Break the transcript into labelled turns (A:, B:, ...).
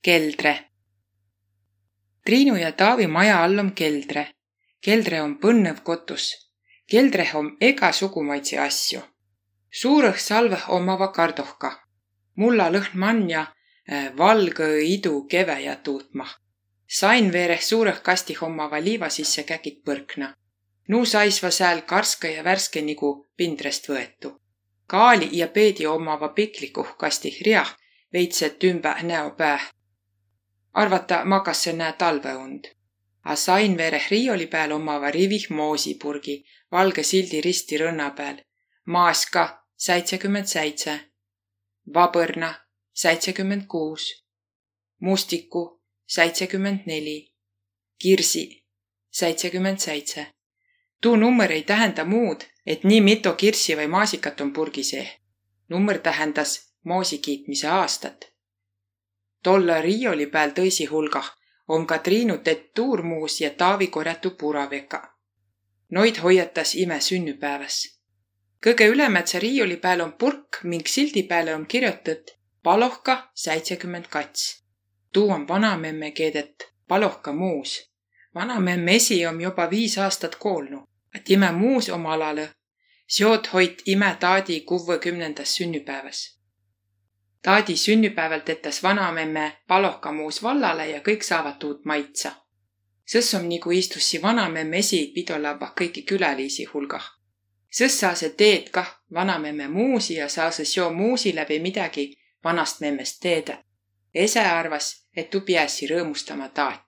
A: Keldre. Triinu ja Taavi maja all om keldre. Keldre on põnnõv kotus. Keldreh om egasugumaitsi asju. Suurõh salvõh omava kardohka. Mulla lõhn mann ja valgõ idu keväjä tuutmah. Sain veereh suurõh kastih omava liiva sisse käkit põrkna. Nuu saisva sääl karska ja värske nigu pindrest võetu. Kaali ja peedi omava piklikuh kastih riah veitset ümpäh näo pääh. Arvata makas se nää talveund. A sain veereh riioli pääl omava rivih moosipurgi, valge sildi risti rõnna pääl. Maaska 77, vabõrna 76, mustiku 74, kirsi 77. Tuu nummer ei tähenda muud, et nii mitu kirssi või maasikat on purgi seeh. Nummer tähendas moosi kiitmise aastat. Tolle riioli pääl tõisi hulgah on ka Triinu tett tuurmuus ja Taavi korjatu puraveka. Noid hoiatas ime sünnüpäeväs. Kõige ülemätse riioli pääl on purk, ming sildi pääle on kirjotat Palohka 72. Tuu on vanamemme keedet Palohka muus. Vanamemme esi om joba 5 aastat koolnu, et ime muus oma alalõ. Seot hoit ime taadi 60. sünnüpäeväs. Taadi sünnüpäeval tetäs vanamemme Palohka muus vallale ja kõik saavad tuud maitsa. Sõs om nigu istussi vanamemme esi pidolabah kõiki külaliisi hulgah. Sõs saa se teed kah vanamemme muusi ja saa se seo muusi läbi midagi vanast memmest teedä. Ese arvas, et tuu piäsi rõõmustama taat.